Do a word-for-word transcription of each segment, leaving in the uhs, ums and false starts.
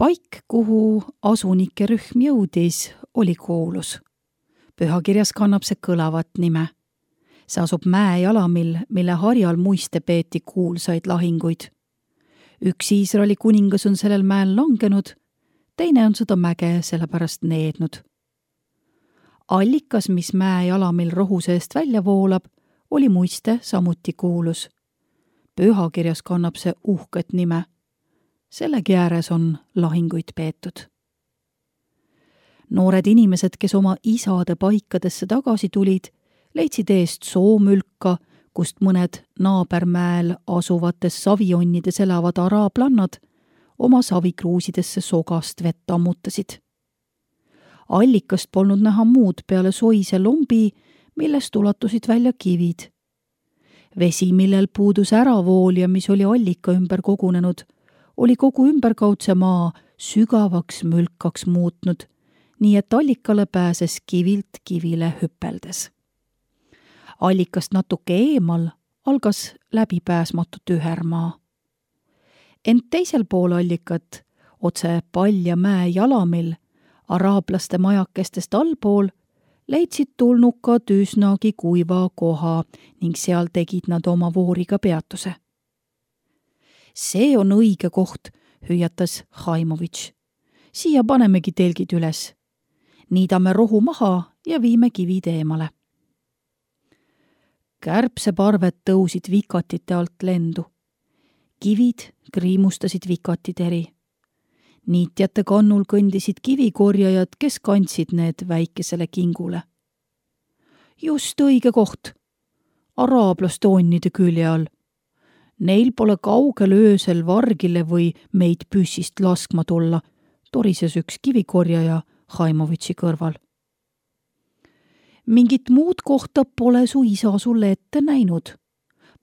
Paik, kuhu asunike rühm jõudis, oli kuulus. Pühakirjas kannab see kõlavat nime. See asub mäejalamil, mille harjal muiste peeti kuulsaid lahinguid. Üks Iisraeli kuningas on sellel mäel langenud, teine on seda mäge sellepärast neednud. Allikas, mis mäejalamil rohu seest välja voolab, oli muiste samuti kuulus. Pühakirjas kannab see uhket nime. Sellegi ääres on lahinguid peetud. Noored inimesed, kes oma isade paikadesse tagasi tulid, leidsid eest soomülka, kust mõned naabermäel asuvates savijonnides elavad araablannad oma savikruusidesse sogast vett ammutasid. Allikast polnud näha muud peale soise lombi, millest ulatusid välja kivid. Vesi, millel puudus äravool ja mis oli allika ümber kogunenud, oli kogu ümberkaudse maa sügavaks mülkaks muutnud, nii et allikale pääses kivilt kivile hüpeldes. Allikast natuke eemal algas läbipääsmatu tühermaa. Ent teisel pool allikat, otse palja mäe jalamil, araablaste majakestest allpool, leidsid tulnukad üsnagi kuiva koha ning seal tegid nad oma vooriga peatuse. See on õige koht, hüüatas Haimovitš. Siia panemegi telgid üles. Niidame rohu maha ja viime kivid eemale. Kärbseparved tõusid vikatite alt lendu. Kivid kriimustasid vikatid eri. Niitjate kannul kõndisid kivikorjajad, kes kandsid need väikesele kingule. Just õige koht. Araablaste onnide külje all. Neil pole kaugel öösel vargile või meid püssist laskma tulla, torises üks kivikorjaja Haimovitši kõrval. Mingit muud kohta pole su isa sulle ette näinud.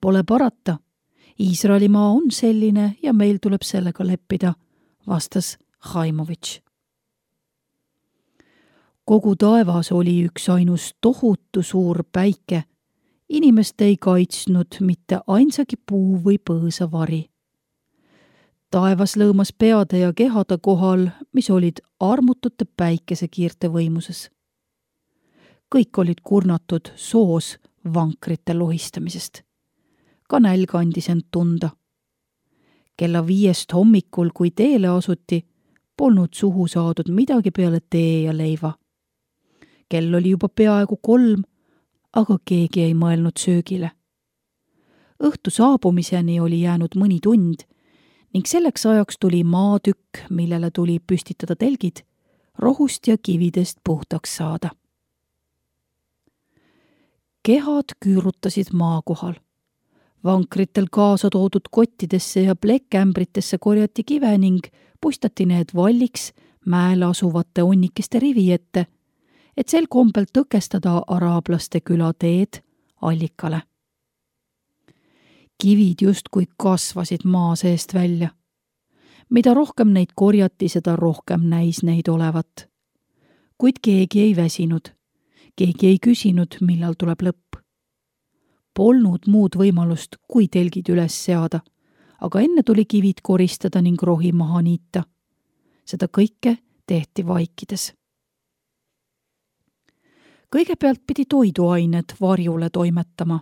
Pole parata. Iisraelimaa on selline ja meil tuleb sellega leppida, vastas Haimovitš. Kogu taevas oli üks ainus tohutu suur päike. Inimest ei kaitsnud mitte ainsagi puu või põõsa vari. Taevas lõõmas peade ja kehade kohal, mis olid armutute päikesekiirte võimuses. Kõik olid kurnatud soos vankrite lohistamisest. Ka nälg andis end tunda. Kella viiest hommikul, kui teele asuti, polnud suhu saadud midagi peale tee ja leiva. Kell oli juba peaaegu kolm, aga keegi ei mõelnud söögile. Õhtu saabumiseni oli jäänud mõni tund ning selleks ajaks tuli maatükk, millele tuli püstitada telgid, rohust ja kividest puhtaks saada. Kehad küürutasid maa kohal. Vankritel kaasa toodud kottidesse ja plekkämbritesse korjati kive ning puistati need valliks mäel asuvate onnikeste rivi ette, et sel kombel tõkestada araablaste küla teed allikale. Kivid justkui kasvasid maa seest välja. Mida rohkem neid korjati, seda rohkem näis neid olevat. Kuid keegi ei väsinud. Keegi ei küsinud, millal tuleb lõpp. Polnud muud võimalust, kui telgid üles seada, aga enne tuli kivid koristada ning rohi maha niita. Seda kõike tehti vaikides. Kõigepealt pidi toiduained varjule toimetama.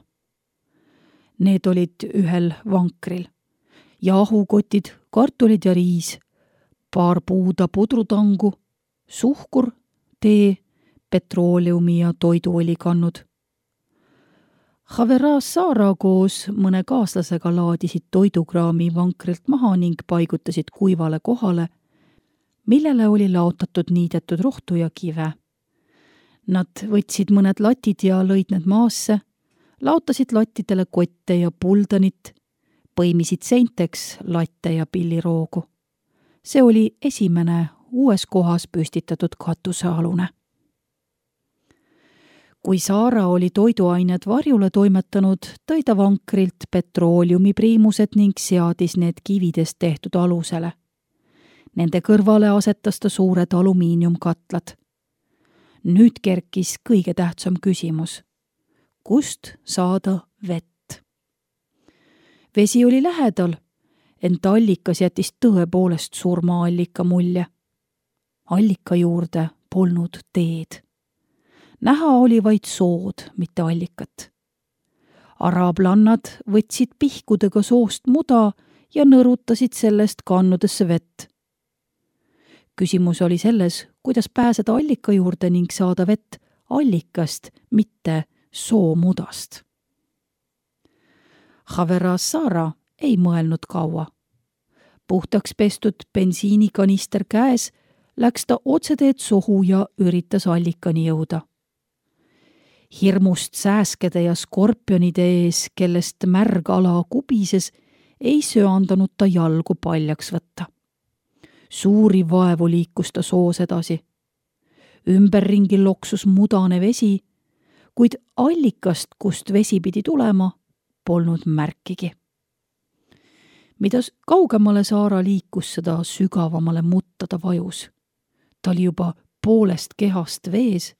Need olid ühel vankril. Jahukotid, kartulid ja riis, paar puuda pudrutangu, suhkur, tee, petrooleumi ja toiduoli kannud. Havera Saara koos mõne kaaslasega laadisid toidukraami vankrilt maha ning paigutasid kuivale kohale, millele oli laotatud niidetud rohtu ja kive. Nad võtsid mõned latid ja lõid need maasse, laotasid lattidele kotte ja puldanit, põimisid seinteks latte ja pilliroogu. See oli esimene uues kohas püstitatud katusealune. Kui Saara oli toiduained varjule toimetanud, tõi ta vankrilt petrooliumipriimused ning seadis need kividest tehtud alusele. Nende kõrvale asetas ta suured alumiiniumkatlad. Nüüd kerkis kõige tähtsam küsimus. Kust saada vett? Vesi oli lähedal, ent allikas jättis tõepoolest surmaallika mulje. Allika juurde polnud teed. Näha oli vaid sood, mitte allikat. Araablannad võtsid pihkudega soost muda ja nõrutasid sellest kannudesse vett. Küsimus oli selles, kuidas pääseda allika juurde ning saada vett allikast, mitte soomudast. Khaver-as-Sara ei mõelnud kaua. Puhtaks pestud bensiinikanister käes läks ta otseteed sohu ja üritas allikani jõuda. Hirmust sääskede ja skorpionide ees, kellest märg ala kubises, ei söandanud ta jalgu paljaks võtta. Suuri vaevu liikus ta soos edasi. Ümberringi loksus mudane vesi, kuid allikast, kust vesi pidi tulema, polnud märkigi. Mida kaugemale Saara liikus, seda sügavamale mutta ta vajus. Ta oli juba poolest kehast vees,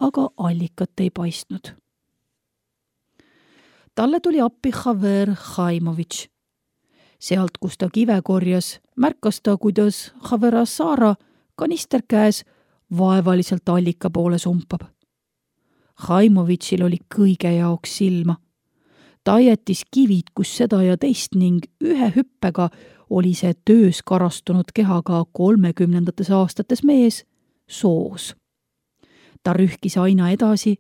aga allikat ei paistnud. Talle tuli appi Khaver Khaimovitš. Sealt, kus ta kive korjas, märkas ta, kuidas Khaver-as-Sara kanister käes vaevaliselt allika poole sumpab. Khaimovitšil oli kõige jaoks silma. Ta jättis kivid, kus seda ja teist ning ühe hüppega oli see töös karastunud kehaga kolmekümnendates aastates mees soos. Ta rühkis aina edasi,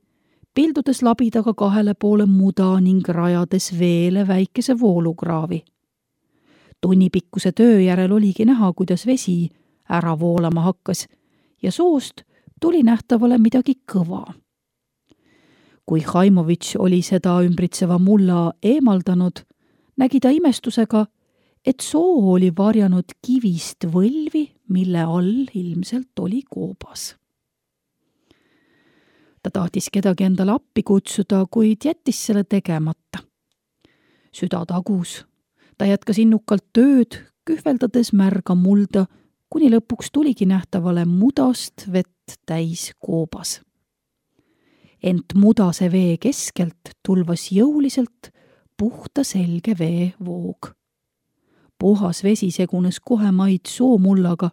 pildudes labidaga kahele poole muda ning rajades veele väikese voolukraavi. Tunnipikkuse töö järel oligi näha, kuidas vesi ära voolama hakkas ja soost tuli nähtavale midagi kõva. Kui Khaimovitš oli seda ümbritseva mulla eemaldanud, nägi ta imestusega, et soo oli varjanud kivist võlvi, mille all ilmselt oli koobas. Ta tahtis kedagi endale appi kutsuda, kuid jättis selle tegemata. Süda tagus. Ta jätkas innukalt tööd, kühveldades märga mulda, kuni lõpuks tuligi nähtavale mudast vett täis koobas. Ent mudase vee keskelt tulvas jõuliselt puhta selge vee voog. Puhas vesi segunes kohe maid soomullaga.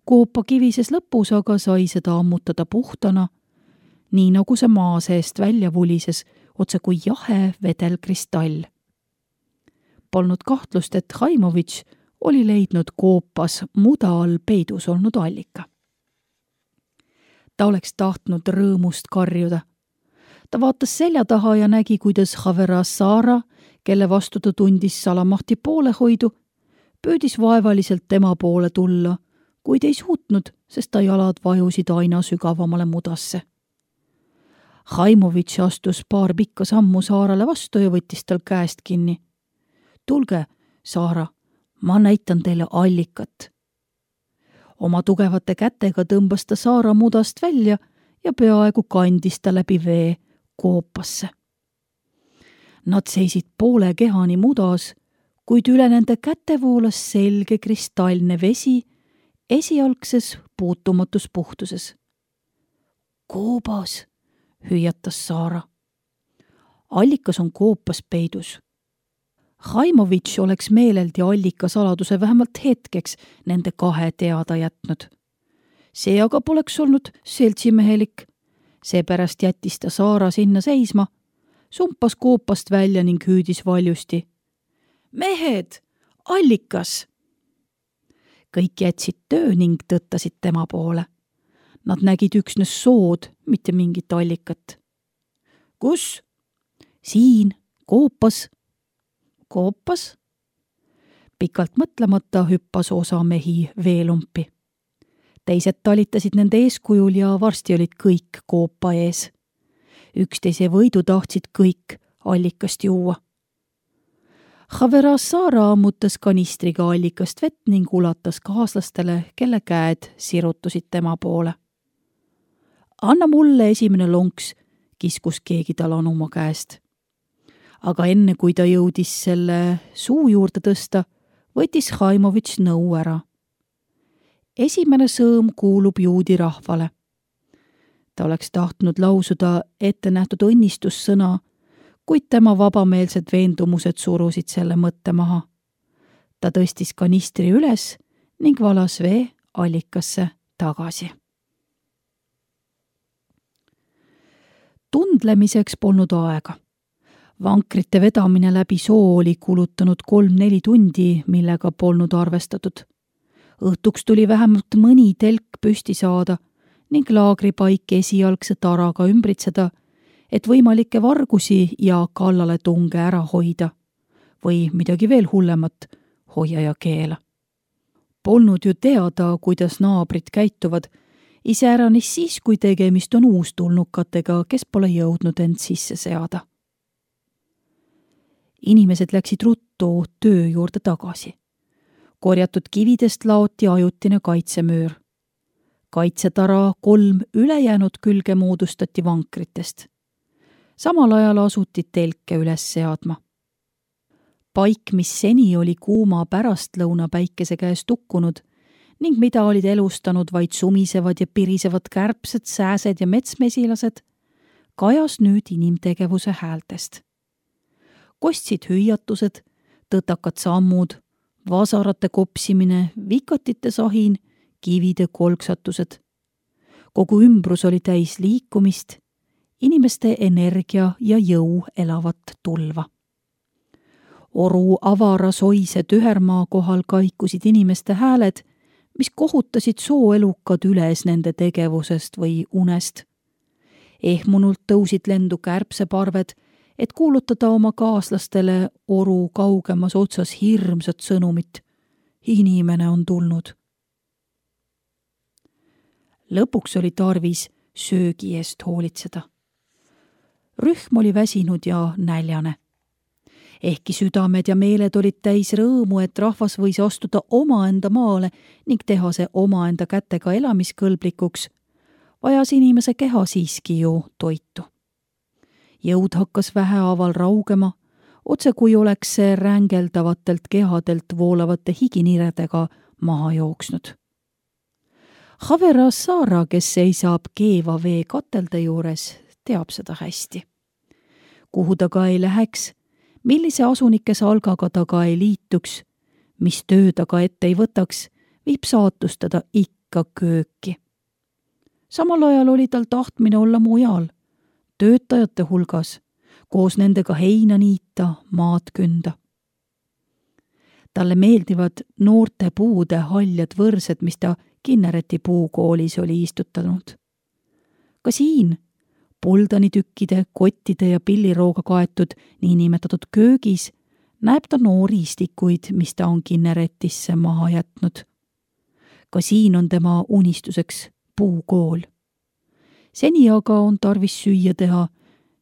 Koopa kivises lõpus aga sai seda ammutada puhtana, nii nagu see maa seest välja vulises, otse kui jahe vedelkristall. Polnud kahtlust, et Khaimovitš oli leidnud koopas muda all peidus olnud allika. Ta oleks tahtnud rõõmust karjuda. Ta vaatas selja taha ja nägi, kuidas Khaver-as-Sara, kelle vastu ta tundis salamahti poolehoidu, püüdis vaevaliselt tema poole tulla, kuid ei suutnud, sest ta jalad vajusid aina sügavamale mudasse. Khaimovitš astus paar pikka sammu Saarale vastu ja võttis tal käest kinni. Tulge, Saara, ma näitan teile allikat. Oma tugevate kätega tõmbas ta Saara mudast välja ja peaaegu kandis ta läbi vee koopasse. Nad seisid poole kehani mudas, kuid üle nende käte voolas selge kristallne vesi esialgses puutumatus puhtuses. Koobas, hüüatas Saara. Allikas on koopas peidus. Khaimovitš oleks meeleldi allika saladuse vähemalt hetkeks nende kahe teada jätnud. See aga poleks olnud seltsimehelik. Seepärast jättis ta Saara sinna seisma, sumpas koopast välja ning hüüdis valjusti. Mehed, allikas! Kõik jätsid töö ning tõttasid tema poole. Nad nägid üksnes sood, mitte mingit allikat. Kus? Siin, koopas. Koopas? Pikalt mõtlemata hüppas osa mehi veelumpi. Teised talitasid nende eeskujul ja varsti olid kõik koopa ees. Üksteise võidu tahtsid kõik allikast juua. Khaver-as-Sara ammutas kanistriga allikast vett ning ulatas kaaslastele, kelle käed sirutusid tema poole. Anna mulle esimene lonks, kiskus keegi tal anuma käest. Aga enne, kui ta jõudis selle suu juurde tõsta, võttis Khaimovitš nõu ära. Esimene sõõm kuulub juudi rahvale. Ta oleks tahtnud lausuda ette nähtud õnnistussõna, kuid tema vabameelsed veendumused surusid selle mõtte maha. ta tõstis kanistri üles ning valas vee allikasse tagasi. Tundlemiseks polnud aega. Vankrite vedamine läbi soo oli kulutanud kolm-neli tundi, millega polnud arvestatud. Õhtuks tuli vähemalt mõni telk püsti saada ning laagripaik esialgse taraga ümbritseda, et võimalikke vargusi ja kallaletunge ära hoida või midagi veel hullemat, hoia ja keela. Polnud ju teada, kuidas naabrid käituvad, iseäranis siis, kui tegemist on uustulnukatega, kes pole jõudnud end sisse seada. Inimesed läksid ruttu töö juurde tagasi. Korjatud kividest laoti ajutine kaitsemöör. Kaitsetara kolm ülejäänud külge moodustati vankritest. Samal ajal asuti telke üles seadma. Paik, mis seni oli kuuma pärastlõuna päikese käes tukkunud ning mida olid elustanud vaid sumisevad ja pirisevad kärbsed, sääsed ja metsmesilased, kajas nüüd inimtegevuse häältest. Kostsid hüüatused, tõtakad sammud, vasarate kopsimine, vikatite sahin, kivide kolksatused. Kogu ümbrus oli täis liikumist, inimeste energia ja jõu elavat tulva. Oru avara soise tühermaa kohal kaikusid inimeste hääled, mis kohutasid sooelukad üles nende tegevusest või unest. Ehmunult tõusid lendu kärbseparved, et kuulutada oma kaaslastele oru kaugemas otsas hirmsat sõnumit. Inimene on tulnud. Lõpuks oli tarvis söögi eest hoolitseda. Rühm oli väsinud ja näljane. Ehkki südamed ja meeled olid täis rõõmu, et rahvas võis astuda omaenda maale ning teha see omaenda kätega elamiskõlblikuks, vajas inimese keha siiski ju toitu. Jõud hakkas vähehaaval raugema, otse kui oleks see rängeldavatelt kehadelt voolavate higiniredega maha jooksnud. Havera Saara, kes seisab keeva vee katelde juures, teab seda hästi. Kuhu ta ka ei läheks, millise asunike salgaga ta ka ei liituks, mis töö ta ka ette ei võtaks, viib saatus teda ikka kööki. Samal ajal oli tal tahtmine olla mujal, töötajate hulgas, koos nendega heina niita, maad künda. Talle meeldivad noorte puude haljad võrsed, mis ta Kinnereti puukoolis oli istutanud. Ka siin poldanitükkide, kottide ja pillirooga kaetud niinimetatud köögis näeb ta noori istikuid, mis ta on Kinneretisse maha jätnud. Ka siin on tema unistuseks puukool. Seni aga on tarvis süüa teha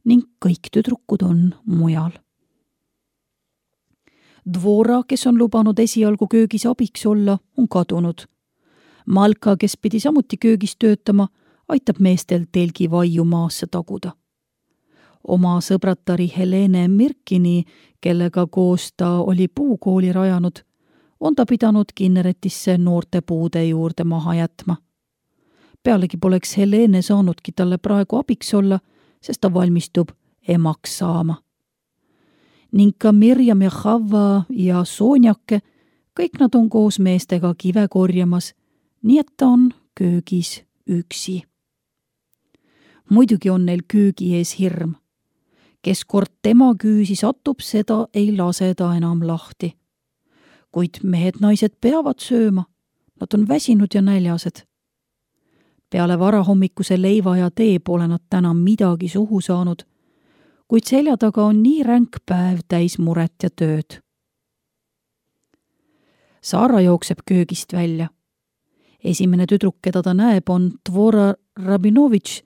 ning kõik tüdrukud on mujal. Dvora, kes on lubanud esialgu köögis abiks olla, on kadunud. Malka, kes pidi samuti köögis töötama, aitab meestel telgi vaiu maasse taguda. Oma sõbratari Helene Mirkini, kellega koos ta oli puukooli rajanud, on ta pidanud Kinneretisse noorte puude juurde maha jätma. Pealegi poleks Helene saanudki talle praegu abiks olla, sest ta valmistub emaks saama. Ning ka Mirjam ja Havva ja Soonjake, kõik nad on koos meestega kive korjamas, nii et ta on köögis üksi. Muidugi on neil köögi ees hirm. Kes kord tema küüsi satub, seda ei lase ta enam lahti. Kuid mehed-naised peavad sööma, nad on väsinud ja näljased. Peale varahommikuse leiva ja tee pole nad täna midagi suhu saanud, kuid selja taga on nii ränk päev täis muret ja tööd. Saara jookseb köögist välja. Esimene tüdruk, keda ta näeb, on Dvora Rabinovitš,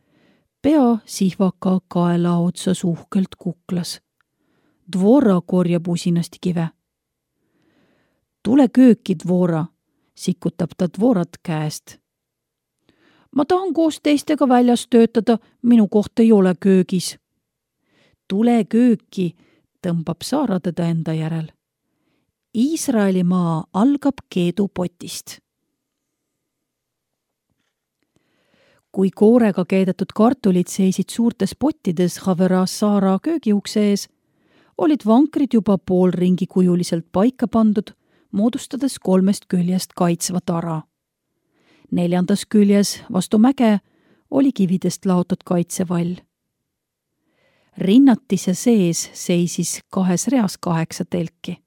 pea sihvaka kaela otsa suhkelt kuklas. Dvora korjab usinasti kive. Tule kööki, Dvora, sikutab ta Dvorat käest. Ma tahan koos teistega väljas töötada, minu koht ei ole köögis. Tule kööki, tõmbab Saara teda enda järel. Iisraeli maa algab keedupotist. Kui koorega keedetud kartulid seisid suurtes pottides Havera Saara köögiukse ees, olid vankrid juba poolringi kujuliselt paika pandud, moodustades kolmest küljest kaitsva tara. Neljandas küljes vastu mäge oli kividest laotud kaitsevall. Rinnatise sees seisis kahes reas kaheksa telki.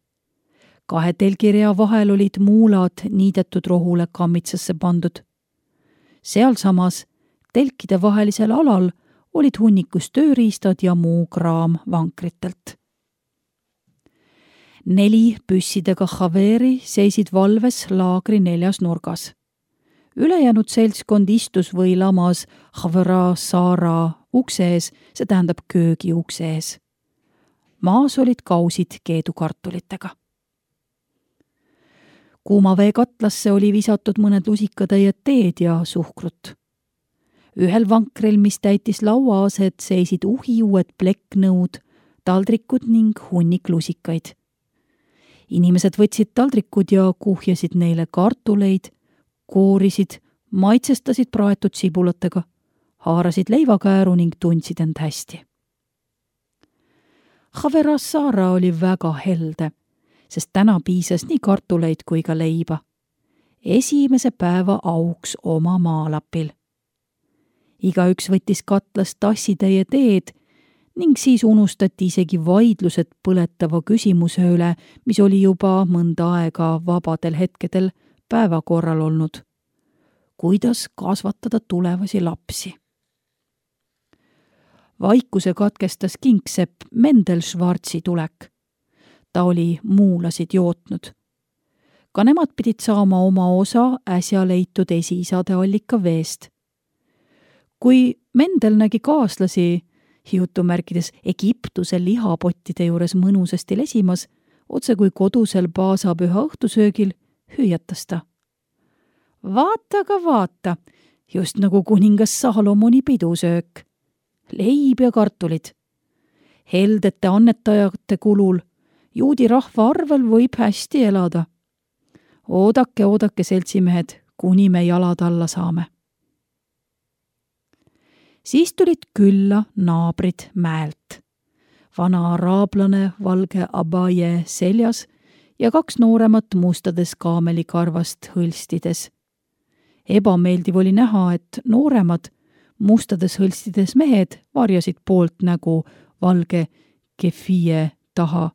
Kahe telgirea vahel olid muulad niidetud rohule kammitsasse pandud. Sealsamas telkide vahelisel alal olid hunnikus tööriistad ja muu kraam vankritelt. Neli püssidega Haveri seisid valves laagri neljas nurgas. Ülejäänud seltskond istus või lamas Havera saara ukse ees, see tähendab köögi ukse ees. Maas olid kausid keedukartulitega. Kuumavee katlasse oli visatud mõned lusikatäied teed ja suhkrut. Ühel vankril, mis täitis lauaaset, seisid uhiuued plekknõud, taldrikud ning hunnik lusikaid. Inimesed võtsid taldrikud ja kuhjasid neile kartuleid, koorisid, maitsestasid praetud sibulatega, haarasid leivakääru ning tundsid end hästi. Havera saara oli väga helde, sest täna piisas nii kartuleid kui ka leiba. Esimese päeva auks oma maalapil. Igaüks võttis katlas tassitäie teed ning siis unustati isegi vaidlused põletava küsimuse üle, mis oli juba mõnda aega vabadel hetkedel päevakorral olnud. Kuidas kasvatada tulevasi lapsi? Vaikuse katkestas kingsepp Mendel Schwarzi tulek. Ta oli muulasid jootnud. Ka nemad pidid saama oma osa äsja leitud esiisade allika veest. Kui Mendel nägi kaaslasi jutumärkides Egiptuse lihapottide juures mõnusasti lesimas, otse kui kodusel paasapüha õhtusöögil, hüüatas ta. Vaata ka vaata, just nagu kuningas Salomoni pidusöök. Leib ja kartulid. Heldete annetajate kulul juudi rahva arvel võib hästi elada. Oodake, oodake, seltsimehed, kuni me jalad alla saame. Siis tulid külla naabrid mäelt. Vana araablane valge abaje seljas ja kaks nooremat mustades kaamelikarvast hõlstides. Ebameeldiv oli näha, et nooremad mustades hõlstides mehed varjasid poolt nägu valge kefie taha,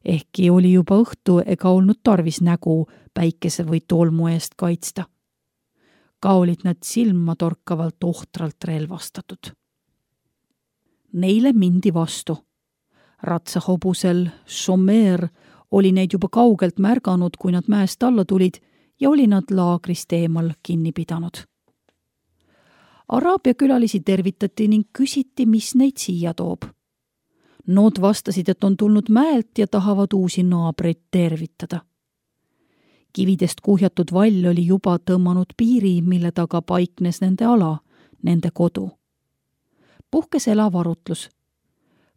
ehkki oli juba õhtu ega olnud tarvis nägu päikese või tolmu eest kaitsta. Ka olid nad silma torkavalt ohtralt relvastatud. Neile mindi vastu. Ratsahobusel Shomer oli neid juba kaugelt märganud, kui nad mäest alla tulid ja oli nad laagrist eemal kinni pidanud. Araabia külalisi tervitati ning küsiti, mis neid siia toob. Nood vastasid, et on tulnud mäelt ja tahavad uusi naabreid tervitada. Kividest kuhjatud vall oli juba tõmmanud piiri, mille taga paiknes nende ala, nende kodu. Puhkes elav arutlus.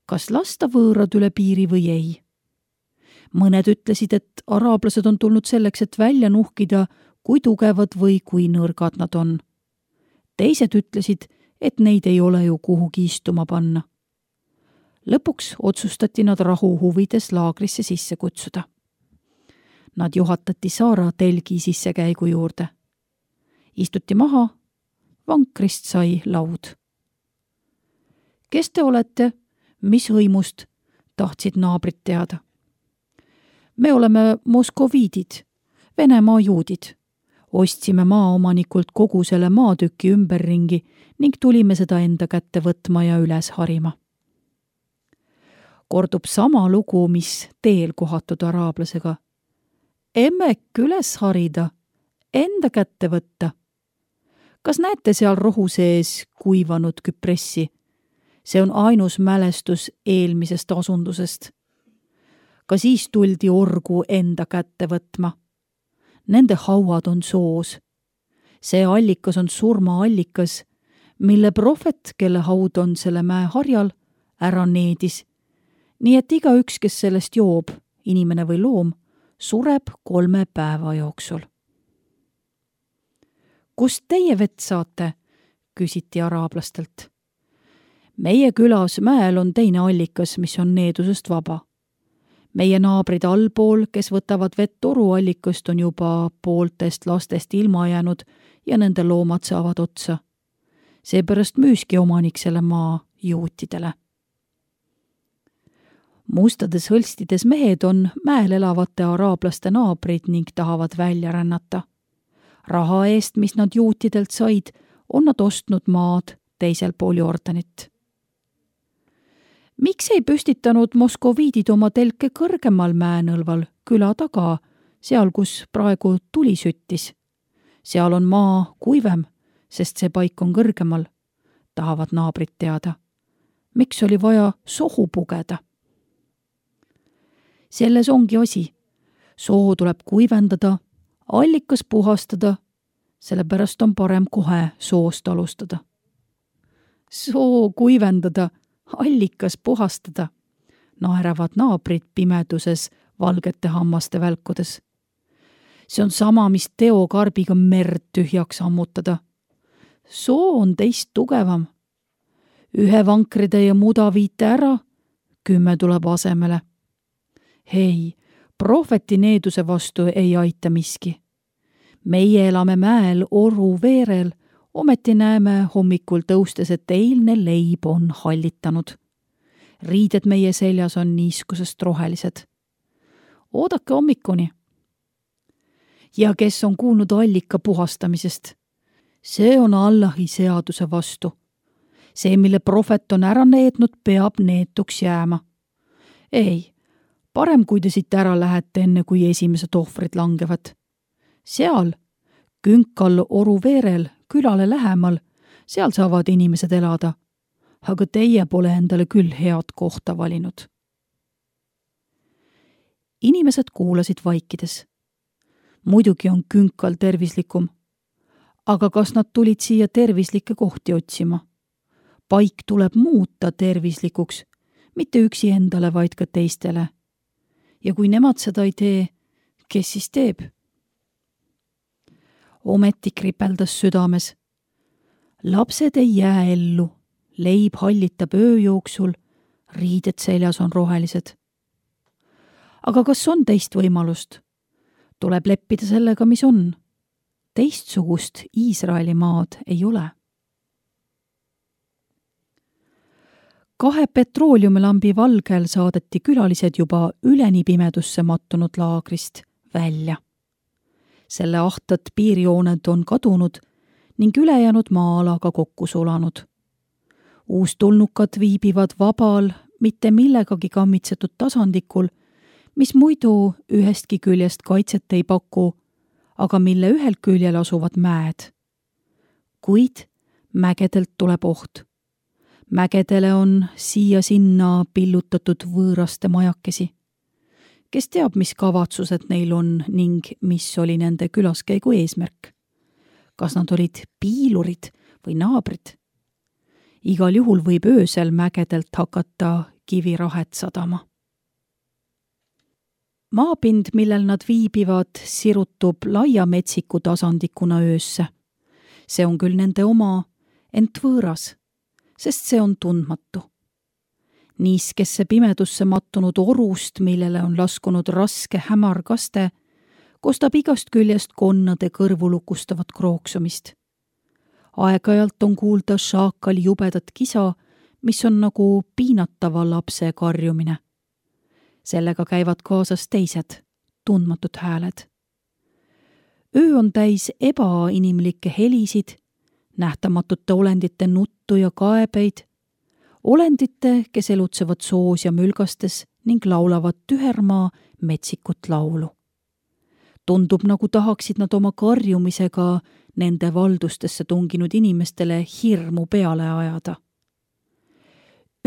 Kas lasta võõrad üle piiri või ei? Mõned ütlesid, et araablased on tulnud selleks, et välja nuhkida, kui tugevad või kui nõrgad nad on. Teised ütlesid, et neid ei ole ju kuhugi istuma panna. Lõpuks otsustati nad rahu huvides laagrisse sisse kutsuda. Nad juhatati saara telgi sissekäigu juurde. Istuti maha, vankrist sai laud. Kes te olete? Mis hõimust? Tahtsid naabrid teada. Me oleme moskoviidid, Venemaa juudid. Ostsime maaomanikult kogu selle maatüki ümberringi ning tulime seda enda kätte võtma ja üles harima. Kordub sama lugu, mis teel kohatud araablasega. Emmek üles harida, enda kätte võtta. Kas näete seal rohu sees kuivanud küpressi? See on ainus mälestus eelmisest asundusest. Ka siis tuldi orgu enda kätte võtma. Nende hauad on soos. See allikas on surmaallikas, mille prohvet, kelle haud on selle mäe harjal, ära needis. Nii et igaüks, kes sellest joob, inimene või loom, sureb kolme päeva jooksul. Kust teie vett saate? Küsiti araablastelt. Meie külas mäel on teine allikas, mis on needusest vaba. meie naabrid allpool, kes võtavad vett toruallikust, on juba pooltest lastest ilma jäänud ja nende loomad saavad otsa. Seepärast müüski omanik selle maa juutidele. Mustades hõlstides mehed on mäel elavate araablaste naabrid ning tahavad välja rännata. Raha eest, mis nad juutidelt said, on nad ostnud maad teisel pool Jordanit. Miks ei püstitanud moskoviidid oma telke kõrgemal mäenõlval, küla taga, seal, kus praegu tuli süttis? Seal on maa kuivem, sest see paik on kõrgemal, tahavad naabrid teada. Miks oli vaja sohu pugeda? Selles ongi asi. Soo tuleb kuivendada, allikas puhastada, sellepärast on parem kohe soost alustada. Soo kuivendada, allikas puhastada, naeravad naabrid pimeduses valgete hammaste välkudes. See on sama, mis teokarbiga merd tühjaks ammutada. Soo on teist tugevam. Ühe vankritäie muda viite ära, kümme tuleb asemele. Hei, prohveti needuse vastu ei aita miski. Meie elame mäel oru veerel, ometi näeme hommikul tõustes, et eilne leib on hallitanud. Riided meie seljas on niiskusest rohelised. Oodake hommikuni. Ja kes on kuulnud allika puhastamisest? See on Allahi seaduse vastu. See, mille prohvet on ära neednud, peab neetuks jääma. Ei, parem kui te siit ära lähete enne, kui esimesed ohvrid langevad. Seal, künkal oru veerel, külale lähemal, seal saavad inimesed elada. Aga teie pole endale küll head kohta valinud. Inimesed kuulasid vaikides. Muidugi on künkal tervislikum. Aga kas nad tulid siia tervislikke kohti otsima? Paik tuleb muuta tervislikuks, mitte üksi endale, vaid ka teistele. Ja kui nemad seda ei tee, kes siis teeb? Ometi kripeldas südames. Lapsed ei jää ellu, leib hallitab öö jooksul, riided seljas on rohelised. Aga kas on teist võimalust? Tuleb leppida sellega, mis on. Teistsugust Iisraeli maad ei ole. Kahe petrooliumilambi valgel saadeti külalised juba üleni pimedusse mattunud laagrist välja. Selle ahtad piirjooned on kadunud ning ülejäänud maa-alaga kokku sulanud. Uustulnukad viibivad vabal, mitte millegagi kammitsetud tasandikul, mis muidu ühestki küljest kaitset ei paku, aga mille ühel küljel asuvad mäed. Kuid mägedelt tuleb oht. Mägedele on siia-sinna pillutatud võõraste majakesi. Kes teab, mis kavatsused neil on ning mis oli nende külaskäigu eesmärk? Kas nad olid piilurid või naabrid? Igal juhul võib öösel mägedelt hakata kivirahet sadama. Maapind, millel nad viibivad, sirutub laia metsiku tasandikuna öösse. See on küll nende oma, ent võõras, sest see on tundmatu. Niiskesse pimedusse mattunud orust, millele on laskunud raske hämar kaste, kostab igast küljest konnade kõrvu lukustavat krooksumist. Aeg-ajalt on kuulda šaakali jubedat kisa, mis on nagu piinatava lapse karjumine. Sellega käivad kaasas teised, tundmatud hääled. Öö on täis ebainimlikke helisid, nähtamatute olendite nuttu ja kaebeid, olendite, kes elutsevad soos ja mülgastes ning laulavad tühermaa metsikut laulu. Tundub, nagu tahaksid nad oma karjumisega nende valdustesse tunginud inimestele hirmu peale ajada.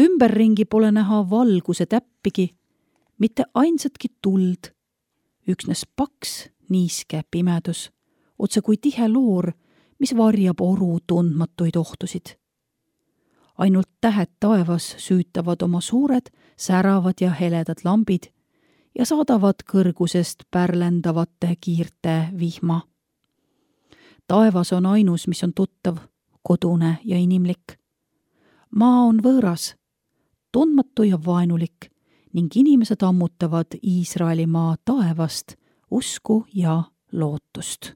Ümberringi pole näha valguse täppigi, mitte ainsatki tuld, üksnes paks, niiske pimedus, otse kui tihe loor, mis varjab oru tundmatuid ohtusid. Ainult tähed taevas süütavad oma suured, säravad ja heledad lambid ja saadavad kõrgusest pärlendavate kiirte vihma. Taevas on ainus, mis on tuttav, kodune ja inimlik. Maa on võõras, tundmatu ja vaenulik, ning inimesed ammutavad Iisraelimaa taevast usku ja lootust.